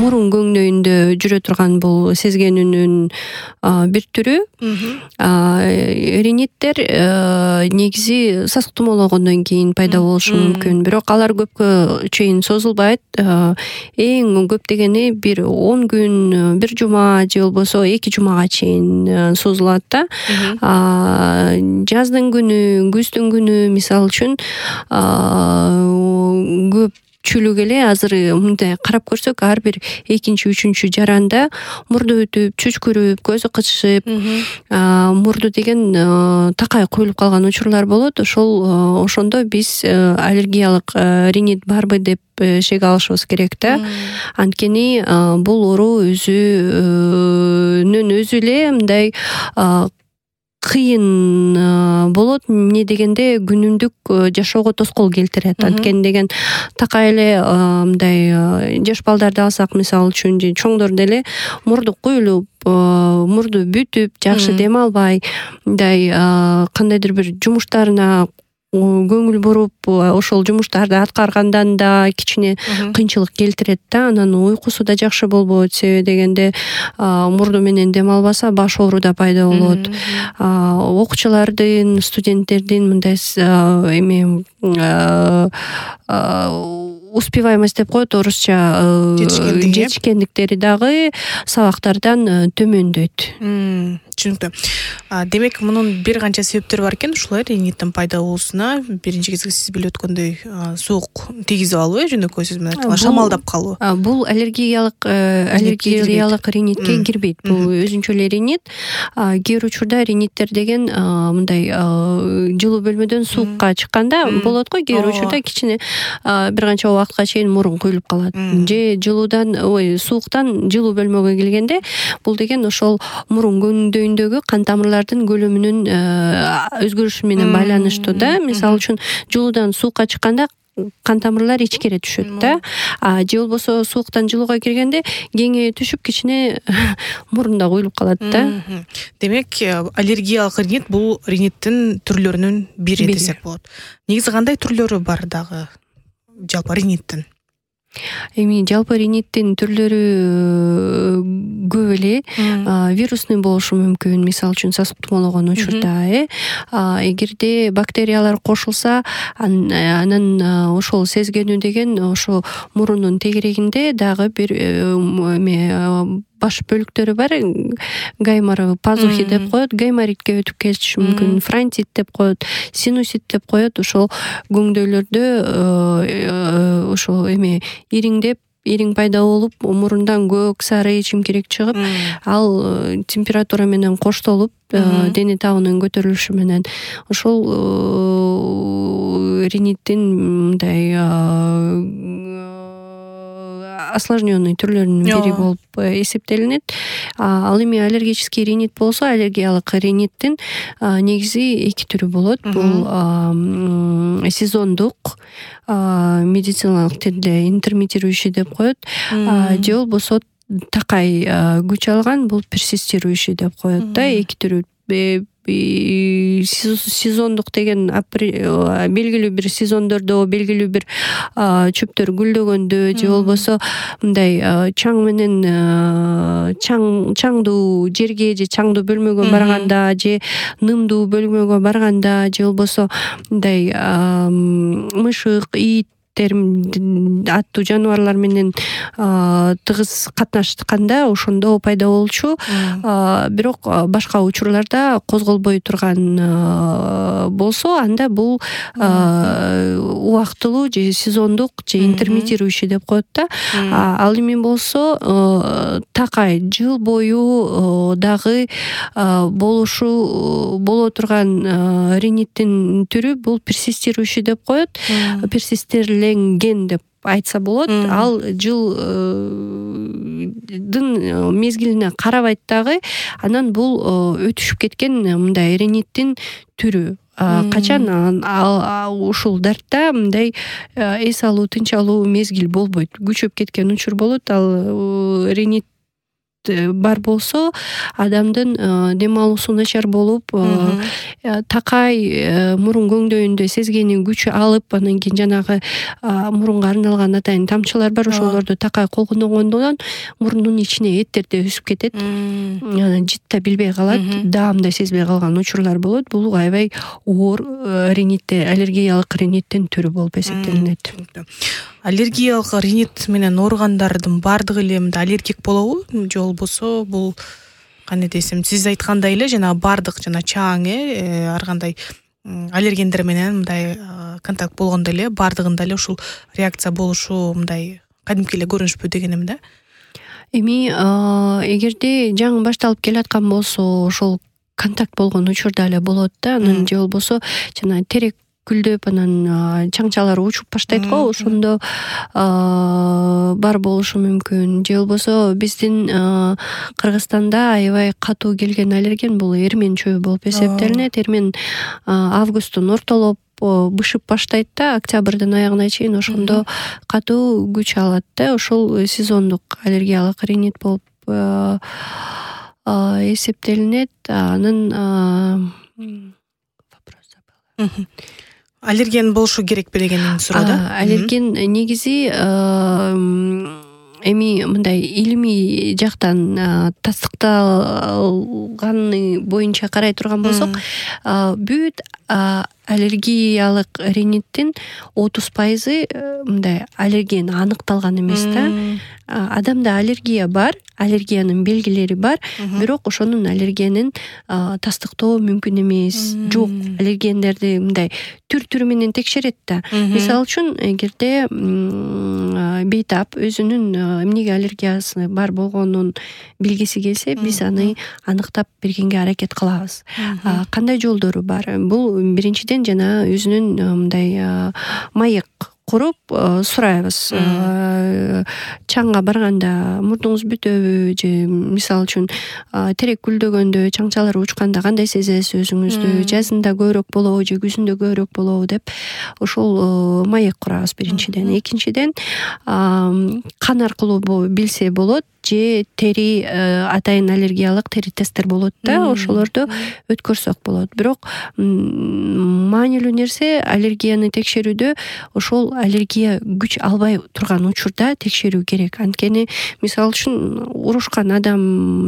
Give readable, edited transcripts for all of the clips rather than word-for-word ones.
мурун көңдөйүндө жүрө турган бул сезгенүүнүн бир түрү. Риниттер негизи сасык тумоологондон кийин пайда болушу мүмкүн, бирок алар көпкө чейин созулбайт. Эң көп дегени бир 10 күн, бир жума же болбосо 2 жумага чейин созулат да. Жаздын күнү, күздүн күнү мисалы үчүн көпчүлүк эле азыр мындай карап көрсөк, ар бир 2-3 жаранда мурду өтүп, чүчкүрүп, көзү кычышып, мурду деген такай куюлуп калган учурлар болот. Ошондо биз аллергиялык ринит барбы деп шек алышыбыз керек да. Анткени бул оору өзүнүн өзү эле мындай кыйын болот. Эмне дегенде күнүмдүк жашоого тоскоол келтирет. Анткени деген такай эле мындай жаш балдарды алсак, мисалы үчүн, же чоңдорду эле мурду куюлуп, мурду бүтүп, жакшы дем албай, мындай кандайдыр бир жумуштарына көңүл буруп, ошол жумуштарды аткаргандан да кичине кыйынчылык келтирет да. Анан уйкусу да жакшы болбойт. Себеби дегенде мурду менен дем албаса баш оору да пайда болот. Окуучулардын, студенттердин мындай успеваемость деп коет орусча, жетишкендиктери дагы сабактардан төмөндөйт. Түшүнүктүү. Демек, мунун бир канча себептери бар экен ушулай риниттин пайда болуусуна. Биринчи кезекте сиз билип өткөндөй суук тийгизип алуу, жөнөкөй сөз менен айтканда шамалдап калуу. Бул аллергиялык ринитке кирбейт. Бул өзүнчө эле ринит. Кээ бир учурда риниттер деген мындай жылуу бөлмөдөн суукка чыкканда болот го. Кээ бир учурда кичине бир канча убакытка чейин мурун куюлуп калат. Же сууктан жылуу бөлмөгө келгенде, бул деген ошол мурун көңдөйүндөгү кан тамырлардын көлөмүнүн өзгөрүшү менен байланыштуу да. Мисалы үчүн, жылуудан суукка чыкканда кан тамырлар ичкере түшөт да. Же болбосо сууктан жылууга киргенде кеңейе түшүп, кичине мурунда куюлуп калат да. Демек, аллергиялык ринит бул риниттин түрлөрүнүн бири десек болот. Негизи кандай түрлөрү бар дагы жалпы риниттин? Эми жалпы риниттин түрлөрү көп эле. Вирусный болушу мүмкүн, мисалы үчүн сасык тумоологон учурда. Эгерде бактериялар кошулса, анан ошол сезгенүү деген ошо мурунун тегерегинде дагы бир баш бөлүктөрү бар. Гаймор пазухи деп коет, гайморитке өтүп кетиши мүмкүн, фронтит деп коет, синусит деп коет. Ошол көңдөйлөрдө ошо ириң пайда болуп, мурундан көк сары чимкирек чыгып, ал температура менен коштолуп, дене табынын көтөрүлүшү менен ошол риниттин мындай осложненный түрлөрүнүн бири болуп эсептелинет. Ал эми аллергический ринит болсо, аллергиялык риниттин негизи 2 түрү болот. Бул сезондук, медициналык тилде интермитирующий деп коет. Же болбосо такай күч алган, бул персистирующий деп коет да. 2 түрү. Сезондук деген белгилүү бир сезондордо, белгилүү бир чөптөр гүлдөгөндө, же болбосо мындай чаң менен чаңдуу жерге же чаңдуу бөлмөгө барганда, же нымдуу бөлмөгө барганда, же болбосо мындай мышык, ит аттуу жаныбарлар менен тыгыз катнашканда ошондо пайда болчу. Бирок башка учурларда козголбой турган болсо, анда бул убактылуу же сезондук же интермитирующий деп коет да. Ал эми болсо такай жыл бою дагы боло турган риниттин түрү бул персистирующий деп коет. Персистерленген деп айтса болот. Ал жылдын мезгилине карабайт дагы. Анан бул өтүшүп кеткен мындай риниттин түрү. Качан ушул дартта мындай эс алуу, тынч алуу мезгил болбойт. Күчөп кеткен учур болот. Ал ринит бар болсо адамдын дем алуусу начар болуп такай мурун көңдөйүндө сезгени күч алып анан кийин жанагы мурунга арналган атайын тамчылар бар ошолорду такай колдонгондон мурундун ичине эттер да өсүп кетет, жыт да билбей калат, даам да сезбей калган учурлар болот. Бул аябай оор аллергиялык риниттин түрү болуп эсептелинет. Аллергиялык ринит менен ооругандардын баардыгы эле мындай аллергик болобу же болбосо бул кандай десем, сиз айткандай эле жана баардык жана чаң ар кандай аллергендер менен мындай контакт болгондо эле баардыгында эле ушул реакция болушу мындай кадимки эле көрүнүшпү дегеним да. Эми эгерде жаңы башталып келаткан болсо ошол контакт болгон учурда эле болот да, анан же болбосо жана терек гүлдөп анан чаңчалар учуп баштайт го, ошондо бар болушу мүмкүн. Же болбосо биздин Кыргызстанда аябай катуу келген аллерген бул эрмен чөбү болуп эсептелинет. Эрмен августтун ортолоп бышып баштайт да, октябрдын аягына чейин ошондо катуу күч алат да. Ошол сезондук аллергиялык ринит болуп эсептелинет. Анын аллерген болушу керекпи деген суроо да. Аллерген негизи эми мындай илимий жактан тастыкталганы боюнча карай турган болсок, бүт аллергиялык риниттин 30% мындай аллерген аныкталган эмес да. Адамда аллергия бар, аллергиянын белгилери бар, бирок ошонун аллергенин тастыктоо мүмкүн эмес. Жок, аллергендерди мындай түр-түрү менен текшерет да. Мисалы үчүн, эгерде бейтап өзүнүн эмнеге аллергиясы бар болгонун билгиси келсе, биз аны аныктап бергенге аракет кылабыз. Кандай жолдору бар? Бул биринчиден жана өзүнүн мындай маек куруп сурайбыз. Чаңга барганда мурдуңуз бүтөбү же мисалы үчүн терек гүлдөгөндө, чаңчалар учканда кандай сезесиз өзүңүздү, жазында көбүрөөк болобу же күзүндө көбүрөөк болобу деп ошол маек курабыз биринчиден. Экинчиден кан аркылуу билсе болот, же тери атайын аллергиялык тери тесттер болот да, ошолорду өткөрсөк болот. Бирок маанилүү нерсе аллергияны текшерүүдө ошол аллергия күч албай турган учурда текшерүү керек. Анткени мисалы үчүн урушкан адам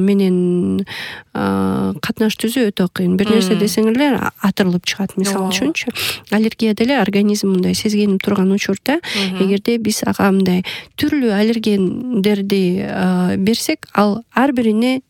менен катнаш түзүү өтө кыйын. Бир нерсе десең эле атырылып чыгат. Мисалы үчүнчү, аллергия деле организм мындай сезгенип турган учурда, эгерде биз ага мындай түрлүү аллергендерди берсек, ал ар бирине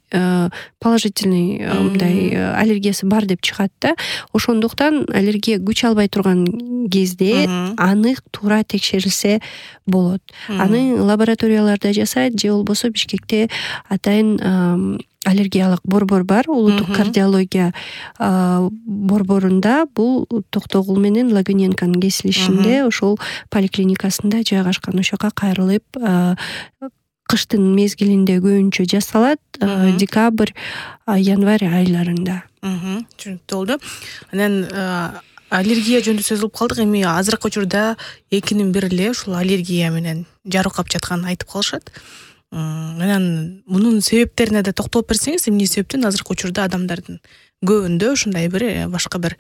положительный мындай аллергиясы бар деп чыгат да. Ошондуктан аллергия күч албай турган кезде анык туура текшерилсе болот. Аны лабораторияларда жасайт, же болбосо Бишкекте атайын аллергиялык борбор бар, улуттук кардиология борборунда. Бул Токтогул менен Лагуненканын кесилишинде, ошол поликлиникасында жайгашкан. Ошока кайрылып кыштын мезгилинде көбүнчө жасалат, декабрь, январь айларында. Түшүнүктүү болду. Анан аллергия жөнүндө сөз кылып калдык. Эми азыркы учурда экинин бири эле ушул аллергия менен жарыкап жатканын айтып калышат. Анан мунун себептерине да токтолуп берсеңиз, эмне себептен азыркы учурда адамдардын көбүндө ушундай бир башка бир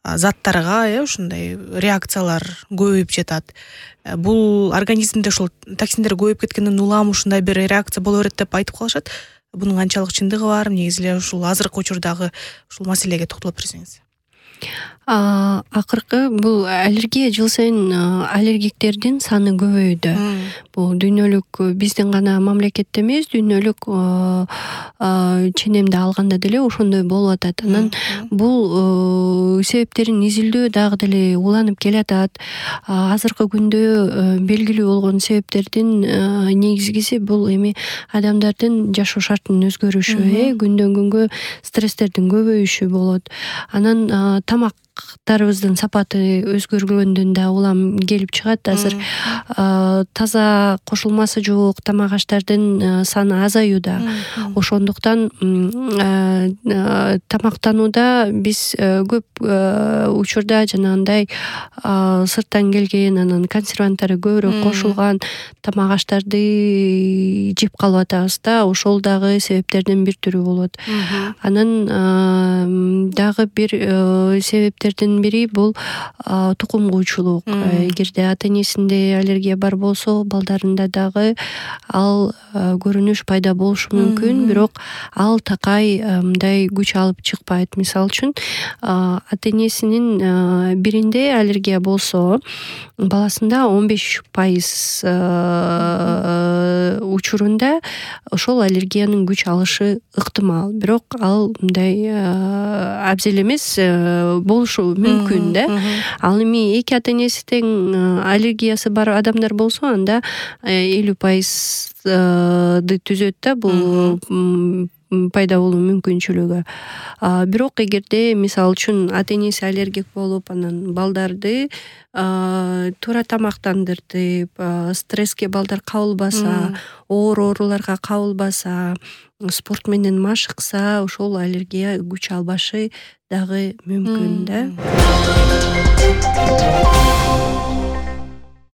заттарга ушундай реакциялар көбөйүп жатат. Бул организмде ушул токсиндер көбөйүп кеткенден улам ушундай бир реакция боло берет деп айтып калышат. Бунун канчалык чындыгы бар? Негизи эле ушул азыркы учурдагы ушул маселеге токтолуп берсеңиз. Акыркы бул аллергия жыл сайын аллергиктердин саны көбөйдү. Бул дүйнөлүк, биздин гана мамлекетте эмес, дүйнөлүк ченемде алганда деле ошондой болуп атат. Анан бул себептерин изилдөө дагы деле уланып келатат. Азыркы күндө белгилүү болгон себептердин негизгиси бул эми адамдардын жашоо шартынын өзгөрүшү, күндөн күнгө стресстердин көбөйүшү болот. Анан тамак тамактарыбыздын сапаты өзгөргөндөн да улам келип чыгат. Азыр таза кошулмасы жок тамак аштардын саны азаюуда. Ошондуктан тамактанууда биз көп учурда жанагындай сырттан келген, анан консерванттары көбүрөөк кошулган тамак аштарды жеп калып атабыз да. Ошол дагы себептердин бир түрү болот. Анан дагы бир себептердин бири бул тукум куучулук. Эгерде ата-энесинде аллергия бар болсо, балдарында дагы ал көрүнүш пайда болушу мүмкүн, бирок ал такай мындай күч алып чыкпайт. Мисалы үчүн ата-энесинин биринде аллергия болсо, баласында 15% учурунда ошол аллергиянын күч алышы ыктымал. Бирок ал мындай абзел эмес болушу мүмкүн да. Ал эми эки ата-энеси тең аллергиясы бар адамдар болсо, анда 50%ды түзөт да бул пайда болуу мүмкүнчүлүгү. Бирок эгерде мисалы үчүн ата-энеси аллергик болуп, анан балдарды туура тамактандыртып, стресске балдар кабылбаса, оор ооруларга кабылбаса, спорт менен машыкса, ошол аллергия күч албашы дагы мүмкүн да.